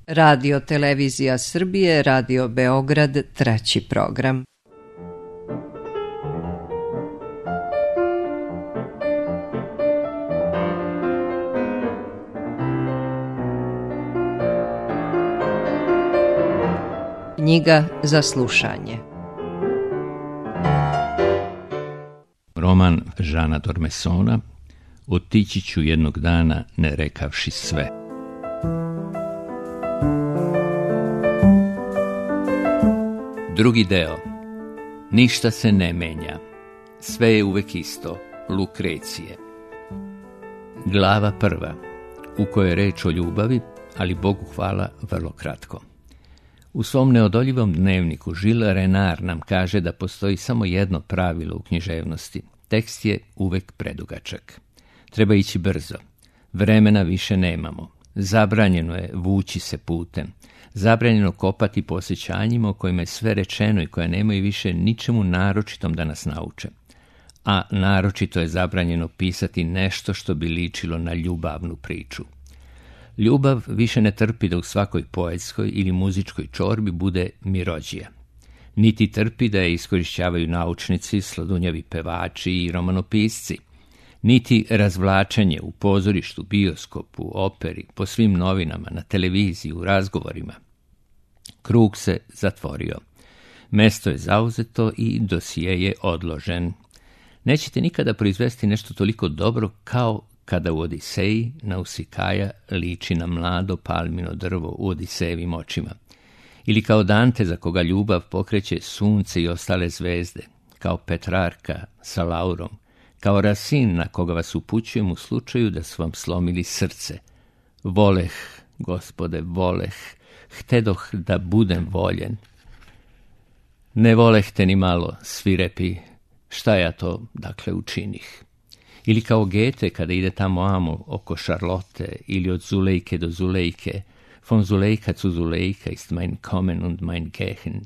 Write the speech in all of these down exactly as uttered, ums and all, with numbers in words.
Radio Televizija Srbije, Radio Beograd, treći program. Knjiga za slušanje. Roman Žana Dormesona Otići ću jednog dana ne rekavši sve. Drugi deo. Ništa se ne menja. Sve je uvek isto. Lukrecije. Glava prva, u kojoj je reč o ljubavi, ali Bogu hvala vrlo kratko. U svom neodoljivom dnevniku Žil Renar nam kaže da postoji samo jedno pravilo u književnosti. Tekst je uvek predugačak. Treba ići brzo. Vremena više nemamo. Zabranjeno je vući se putem. Zabranjeno kopati po osjećanjima o kojima je sve rečeno i koja nemaju više ničemu naročitom da nas nauče. A naročito je zabranjeno pisati nešto što bi ličilo na ljubavnu priču. Ljubav više ne trpi da u svakoj poetskoj ili muzičkoj čorbi bude mirođija. Niti trpi da je iskorišćavaju naučnici, sladunjavi pevači i romanopisci. Niti razvlačenje u pozorištu, bioskopu, operi, po svim novinama, na televiziji, u razgovorima. Krug se zatvorio. Mesto je zauzeto i dosije je odložen. Nećete nikada proizvesti nešto toliko dobro kao kada u Odiseji Nausikaja liči na mlado palmino drvo u Odisejevim očima. Ili kao Dante za koga ljubav pokreće sunce i ostale zvezde, kao Petrarka sa Laurom, kao Rasin na koga vas upućujem u slučaju da su vam slomili srce. Voleh, Gospode, voleh, htedoh da budem voljen. Ne voleh te ni malo, svirepi, šta ja to, dakle, učinih. Ili kao Goethe kada ide tamo amo oko Šarlote, ili od Zulejke do Zulejke, von Zulejka zu Zulejka ist mein Kommen und mein Gehen.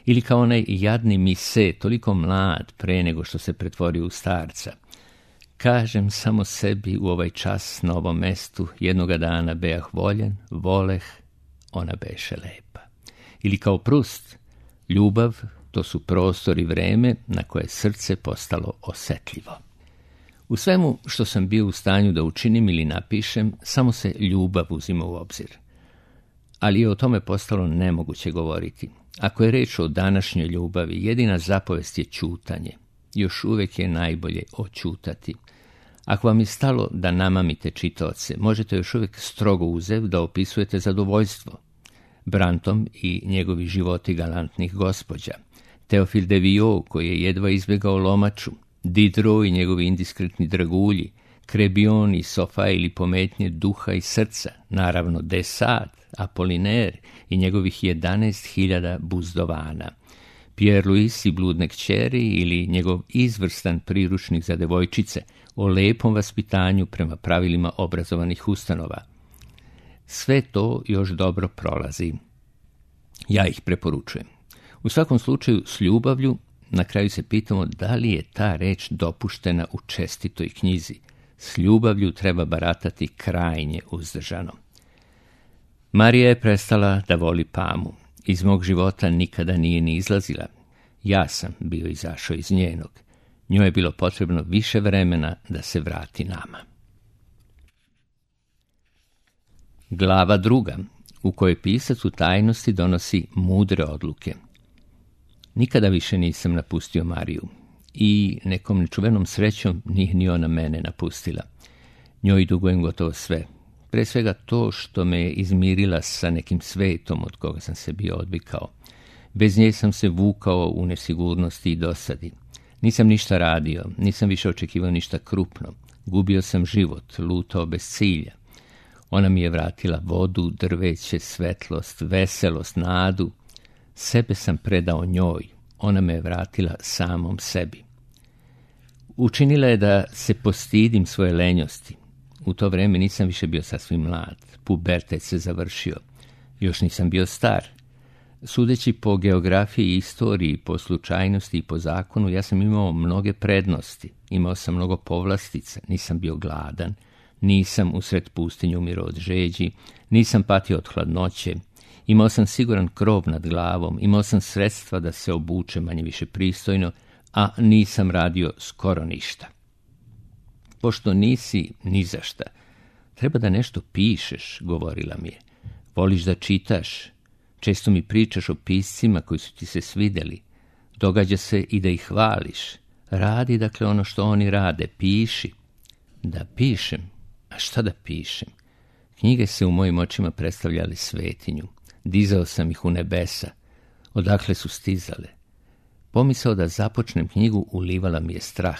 Ili kao onaj jadni Mise, toliko mlad pre nego što se pretvorio u starca. Kažem samo sebi u ovaj čas na ovom mestu, jednoga dana beah voljen, voleh, ona beše lepa. Ili kao Prust, ljubav, to su prostor i vreme na koje je srce postalo osetljivo. U svemu što sam bio u stanju da učinim ili napišem, samo se ljubav uzima u obzir. Ali je o tome postalo nemoguće govoriti. Ako je reč o današnjoj ljubavi, jedina zapovest je ćutanje. Još uvek je najbolje oćutati. Ako vam je stalo da namamite čitaoce, možete još uvek strogo uzev da opisujete zadovoljstvo. Brantom i njegovi životi galantnih gospođa, Teofil de Viau koji je jedva izbjegao lomaču, Diderot i njegovi indiskretni dragulji, Krebion i Sofa ili pometnje duha i srca, naravno de Sade, Apoliner i njegovih jedanaest hiljada buzdovana, Pierre Louis i bludne kćeri ili njegov izvrstan priručnik za devojčice o lepom vaspitanju prema pravilima obrazovanih ustanova. Sve to još dobro prolazi. Ja ih preporučujem. U svakom slučaju s ljubavlju na kraju se pitamo da li je ta reč dopuštena u čestitoj knjizi. S ljubavlju treba baratati krajnje uzdržano. Marija je prestala da voli Pamu. Iz mog života nikada nije ni izlazila. Ja sam bio izašao iz njenog. Njoj je bilo potrebno više vremena da se vrati nama. Glava druga, u kojoj pisac u tajnosti donosi mudre odluke. Nikada više nisam napustio Mariju i nekom nečuvenom srećom nije ni ona mene napustila. Njoj dugujem gotovo sve. Pre svega to što me je izmirila sa nekim svetom od koga sam se bio odvikao. Bez nje sam se vukao u nesigurnosti i dosadi. Nisam ništa radio, nisam više očekivao ništa krupno. Gubio sam život, lutao bez cilja. Ona mi je vratila vodu, drveće, svetlost, veselost, nadu. Sebe sam predao njoj, ona me je vratila samom sebi. Učinila je da se postidim svoje lenjosti. U to vreme nisam više bio sasvim mlad, pubertet se završio. Još nisam bio star. Sudeći po geografiji i istoriji, po slučajnosti i po zakonu, ja sam imao mnoge prednosti. Imao sam mnogo povlastica, nisam bio gladan, nisam usred pustinju umirao od žeđi, nisam patio od hladnoće, imao sam siguran krov nad glavom, imao sam sredstva da se obuče manje više pristojno, a nisam radio skoro ništa. Pošto nisi ni za šta, treba da nešto pišeš, govorila mi je. Voliš da čitaš, često mi pričaš o piscima koji su ti se svidjeli, događa se i da ih hvališ. Radi, dakle, ono što oni rade, piši. Da pišem? A šta da pišem? Knjige se u mojim očima predstavljali svetinju. Dizao sam ih u nebesa. Odakle su stizale? Pomisao da započnem knjigu ulivala mi je strah.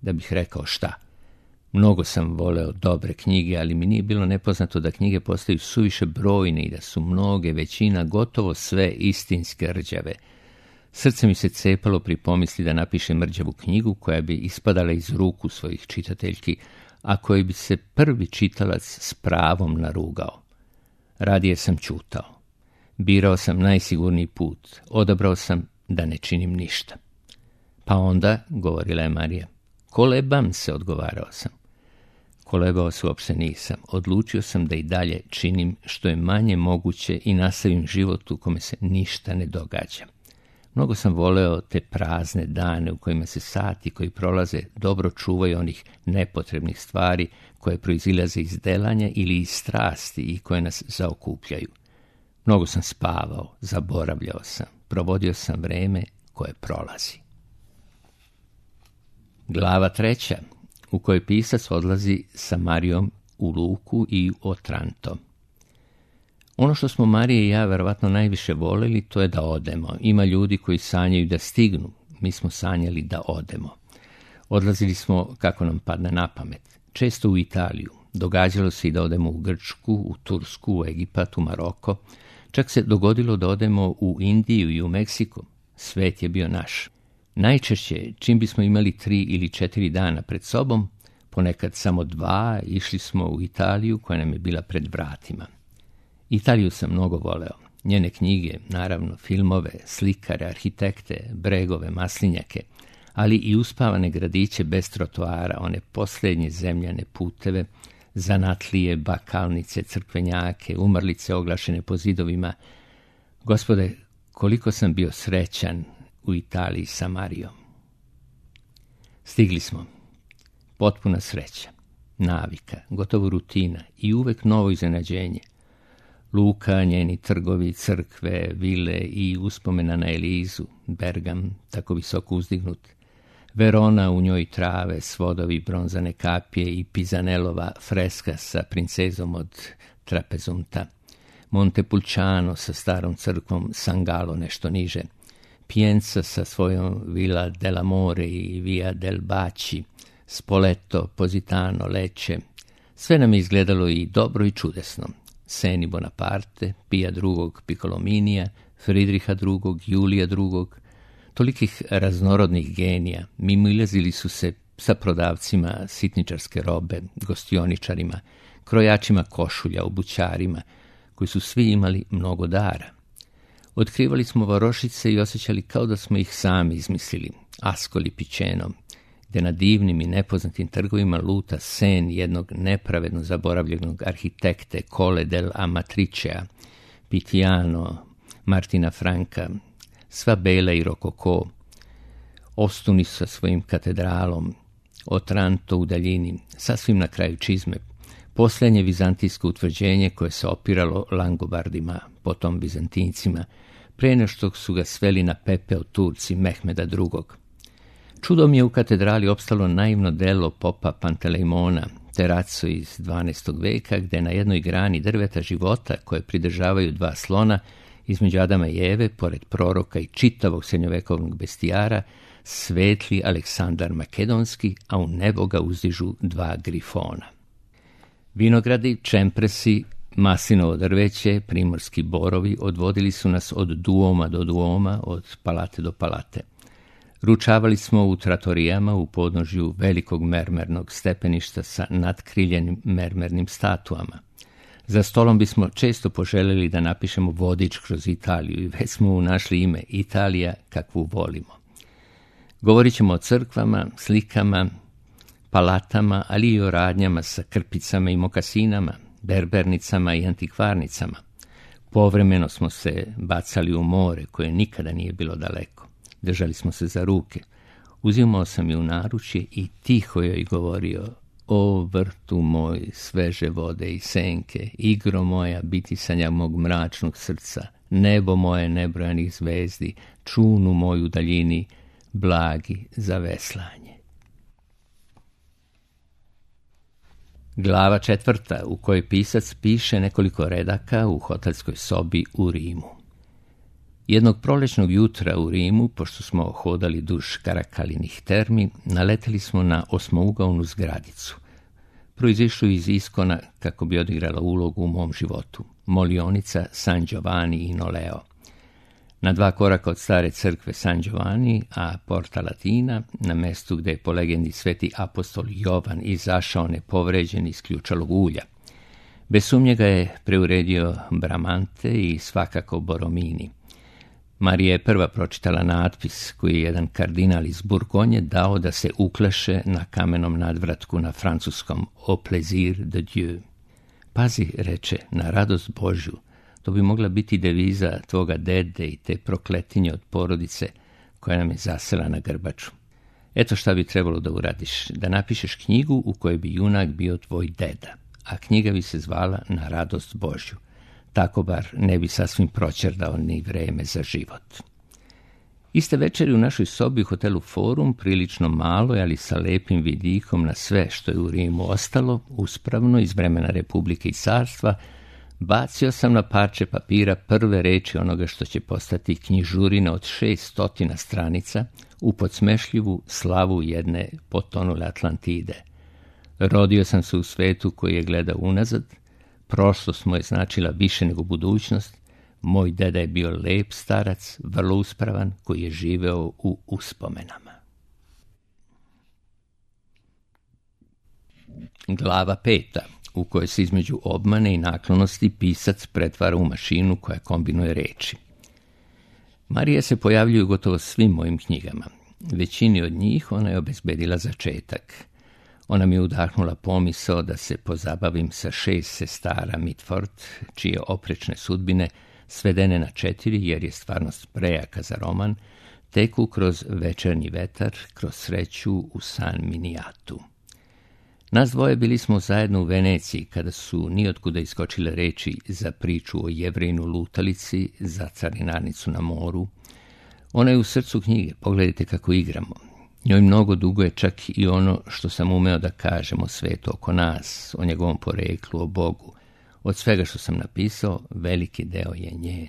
Da bih rekao šta? Mnogo sam voleo dobre knjige, ali mi nije bilo nepoznato da knjige postaju suviše brojne i da su mnoge, većina, gotovo sve istinske rđave. Srce mi se cepalo pri pomisli da napišem mrđavu knjigu koja bi ispadala iz ruku svojih čitateljki, a koji bi se prvi čitalac s pravom narugao. Radije sam ćutao. Birao sam najsigurniji put. Odabrao sam da ne činim ništa. Pa onda, govorila je Marija, kolebam se, odgovarao sam. Kolebao se uopšte nisam. Odlučio sam da i dalje činim što je manje moguće i nastavim život u kome se ništa ne događa. Mnogo sam voleo te prazne dane u kojima se sati koji prolaze dobro čuvaju onih nepotrebnih stvari koje proizilaze iz delanja ili iz strasti i koje nas zaokupljaju. Mnogo sam spavao, zaboravljao sam, provodio sam vreme koje prolazi. Glava treća, u kojoj pisac odlazi sa Marijom u luku i u Otranto. Ono što smo Marija i ja verovatno najviše voleli, to je da odemo. Ima ljudi koji sanjaju da stignu, mi smo sanjali da odemo. Odlazili smo kako nam padne na pamet, često u Italiju. Događalo se i da odemo u Grčku, u Tursku, u Egipat, u Maroko. Čak se dogodilo da odemo u Indiju i u Meksiko. Svet je bio naš. Najčešće, čim bismo imali tri ili četiri dana pred sobom, ponekad samo dva, išli smo u Italiju koja nam je bila pred vratima. Italiju sam mnogo voleo. Njene knjige, naravno, filmove, slikare, arhitekte, bregove, maslinjake, ali i uspavane gradiće bez trotoara, one posljednje zemljane puteve, zanatlije, bakalnice, crkvenjake, umrlice oglašene po zidovima. Gospode, koliko sam bio srećan u Italiji sa Marijom. Stigli smo. Potpuna sreća, navika, gotovo rutina i uvek novo iznenađenje. Luka, njeni trgovi, crkve, vile i uspomena na Elizu, Bergam, tako visoko uzdignut, Verona, u njoj trave, svodovi, bronzane kapije i Pisanellova freska sa princezom od Trapezunta, Montepulciano sa starom crkvom, San Gallo nešto niže, Pienza sa svojom Villa dell'Amore i Via del Baci, Spoleto, Positano, Lecce. Sve nam je izgledalo i dobro i čudesno. Seni Bonaparte, Pija drugog, Picolominija, Fridriha drugog, Julija drugog, tolikih raznorodnih genija, mimoilazili su se sa prodavcima sitničarske robe, gostioničarima, krojačima košulja, obućarima, koji su svi imali mnogo dara. Otkrivali smo varošice i osjećali kao da smo ih sami izmislili, Ascoli Piceno, gde na divnim i nepoznatim trgovima luta sen jednog nepravedno zaboravljenog arhitekte Colle del Amatricea, Pitiano, Martina Franka, sva bela i rokoko, Ostuni sa svojim katedralom, Otranto u daljini, sasvim na kraju čizme, posljednje vizantijsko utvrđenje koje se opiralo Langobardima, potom Bizantincima, pre nego što su ga sveli na pepeo Turci Mehmeda drugog. Čudom je u katedrali opstalo naivno delo popa Pantelejmona, Terrazzo iz dvanaestog veka, gde na jednoj grani drveta života koje pridržavaju dva slona, između Adama i Eve, pored proroka i čitavog srednjovekovnog bestijara, svetli Aleksandar Makedonski, a u nebo ga uzdižu dva grifona. Vinogradi, čempresi, maslinovo drveće, primorski borovi odvodili su nas od duoma do duoma, od palate do palate. Ručavali smo u tratorijama u podnožju velikog mermernog stepeništa sa natkriljenim mermernim statuama. Za stolom bismo često poželjeli da napišemo vodič kroz Italiju i već smo našli ime Italija kakvu volimo. Govorit ćemo o crkvama, slikama, palatama, ali i o radnjama sa krpicama i mokasinama, berbernicama i antikvarnicama. Povremeno smo se bacali u more koje nikada nije bilo daleko. Držali smo se za ruke. Uzimao sam je u naručje i tiho joj govorio: o vrtu moj, sveže vode i senke, igro moja bitisanja mog mračnog srca, nebo moje nebrojanih zvezdi, čunu moju daljini, blagi za veslanje. Glava četvrta, u kojoj pisac piše nekoliko redaka u hotelskoj sobi u Rimu. Jednog prolećnog jutra u Rimu, pošto smo hodali duž Karakalinih termi, naleteli smo na osmougaonu zgradicu, proizišlu iz iskona kako bi odigrala ulogu u mom životu, molionica San Giovanni in Oleo. Na dva koraka od stare crkve San Giovanni, a Porta Latina, na mestu gde je po legendi sveti apostol Jovan izašao nepovređen iz ključalog ulja. Bez sumnje ga je preuredio Bramante i svakako Boromini. Marija je prva pročitala natpis koji je jedan kardinal iz Burgonje dao da se ukleše na kamenom nadvratku na francuskom Au plaisir de Dieu. Pazi, reče, na radost Božju. To bi mogla biti deviza tvoga dede i te prokletinje od porodice koja nam je zasela na grbaču. Eto šta bi trebalo da uradiš, da napišeš knjigu u kojoj bi junak bio tvoj deda, a knjiga bi se zvala Na radost Božju. Tako bar ne bi sasvim proćerdao ni vreme za život. Iste večeri u našoj sobi u hotelu Forum, prilično malo, ali sa lepim vidikom na sve što je u Rimu ostalo, uspravno iz vremena Republike i carstva, bacio sam na parče papira prve reči onoga što će postati knjižurina od šest stotina stranica u podsmešljivu slavu jedne potonule Atlantide. Rodio sam se u svetu koji je gledao unazad, prošlost mu je značila više nego budućnost, moj deda je bio lep starac, vrlo uspravan, koji je živeo u uspomenama. Glava peta, u kojoj se između obmane i naklonosti pisac pretvara u mašinu koja kombinuje reči. Marija se pojavljuje u gotovo svim mojim knjigama. Većini od njih ona je obezbedila začetak. Ona mi je udahnula pomisao da se pozabavim sa šest sestara Mitford, čije oprečne sudbine, svedene na četiri jer je stvarnost prejaka za roman, teku kroz večernji vetar, kroz sreću u San Miniatu. Nas dvoje bili smo zajedno u Veneciji kada su nijotkuda iskočile reči za priču o Jevrejinu lutalici, za carinarnicu na moru. Ona je u srcu knjige, pogledajte kako igramo. Njoj mnogo duguje čak i ono što sam umeo da kažem o svetu oko nas, o njegovom poreklu, o Bogu. Od svega što sam napisao, veliki deo je njen.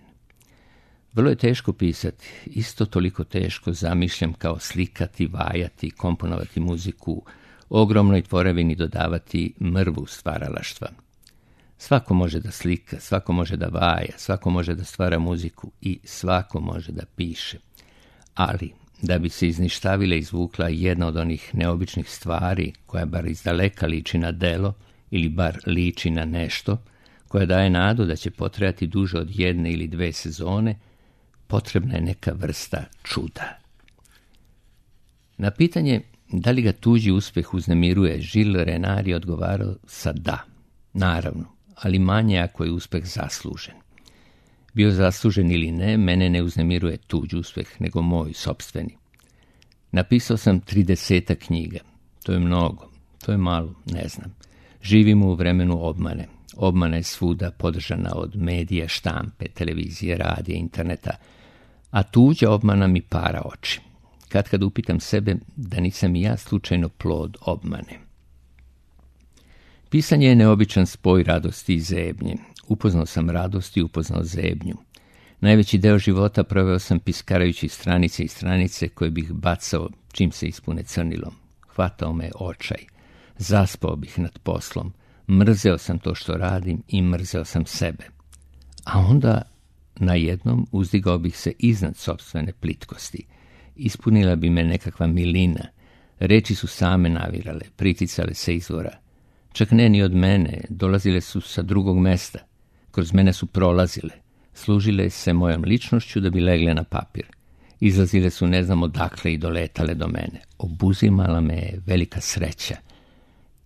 Vrlo je teško pisati, isto toliko teško zamišljam kao slikati, vajati, komponovati muziku, ogromnoj tvorevini dodavati mrvu stvaralaštva. Svako može da slika, svako može da vaja, svako može da stvara muziku i svako može da piše. Ali, da bi se izništavila izvukla jedna od onih neobičnih stvari koja bar izdaleka liči na delo ili bar liči na nešto, koja daje nadu da će potrajati duže od jedne ili dve sezone, potrebna je neka vrsta čuda. Na pitanje da li ga tuđi uspeh uznemiruje, Gilles Renard je odgovarao sa da, naravno, ali manje ako je uspeh zaslužen. Bio zaslužen ili ne, mene ne uznemiruje tuđi uspeh, nego moj sopstveni. Napisao sam tridesetak knjiga. To je mnogo, to je malo, ne znam. Živimo u vremenu obmane. Obmana je svuda podržana od medija, štampe, televizije, radija, interneta, a tuđa obmana mi para oči. Kad kad upitam sebe da nisam i ja slučajno plod obmane. Pisanje je neobičan spoj radosti i zebnje. Upoznao sam radost i upoznao zebnju. Najveći deo života proveo sam piskarajući stranice i stranice koje bih bacao čim se ispune crnilom. Hvatao me očaj. Zaspao bih nad poslom. Mrzeo sam to što radim i mrzeo sam sebe. A onda najednom uzdigao bih se iznad sopstvene plitkosti. Ispunila bi me nekakva milina. Reči su same navirale, priticale se izvora. Čak ne ni od mene, dolazile su sa drugog mesta. Kroz mene su prolazile. Služile se mojom ličnošću da bi legle na papir. Izlazile su ne znam odakle i doletale do mene. Obuzimala me je velika sreća.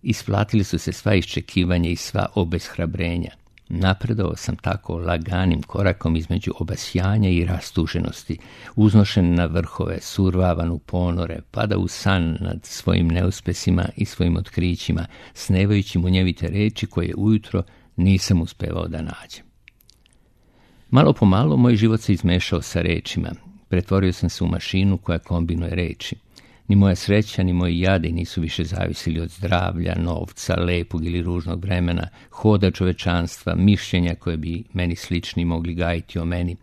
Isplatili su se sva iščekivanja i sva obeshrabrenja. Napredovao sam tako laganim korakom između obasjanja i rastuženosti, uznošen na vrhove, survavan u ponore, pada u san nad svojim neuspesima i svojim otkrićima, snevajući munjevite reči koje ujutro nisam uspevao da nađem. Malo po malo moj život se izmešao sa rečima. Pretvorio sam se u mašinu koja kombinuje reči. Ni moja sreća, ni moji jadi nisu više zavisili od zdravlja, novca, lepog ili ružnog vremena, hoda čovečanstva, mišljenja koje bi meni slični mogli gajiti o meni.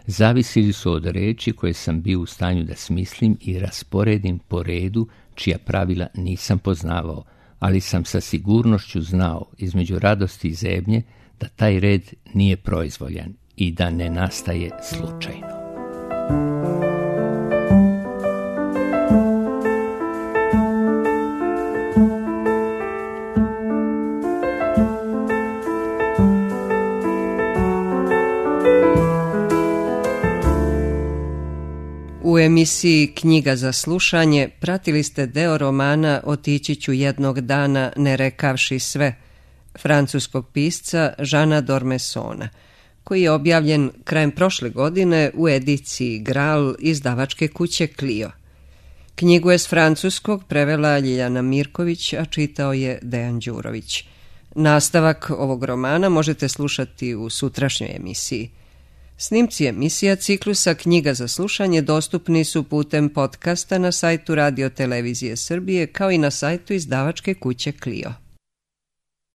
Zavisili su od reči koje sam bio u stanju da smislim i rasporedim po redu čija pravila nisam poznavao, ali sam sa sigurnošću znao između radosti i zebnje da taj red nije proizvoljan i da ne nastaje slučajno. U emisiji Knjiga za slušanje pratili ste deo romana Otići ću jednog dana ne rekavši sve, francuskog pisca Žana Dormesona, koji je objavljen krajem prošle godine u ediciji Gral izdavačke kuće Clio. Knjigu je s francuskog prevela Ljiljana Mirković, a čitao je Dejan Đurović. Nastavak ovog romana možete slušati u sutrašnjoj emisiji. Snimci emisija ciklusa Knjiga za slušanje dostupni su putem podcasta na sajtu Radio Televizije Srbije kao i na sajtu izdavačke kuće Clio.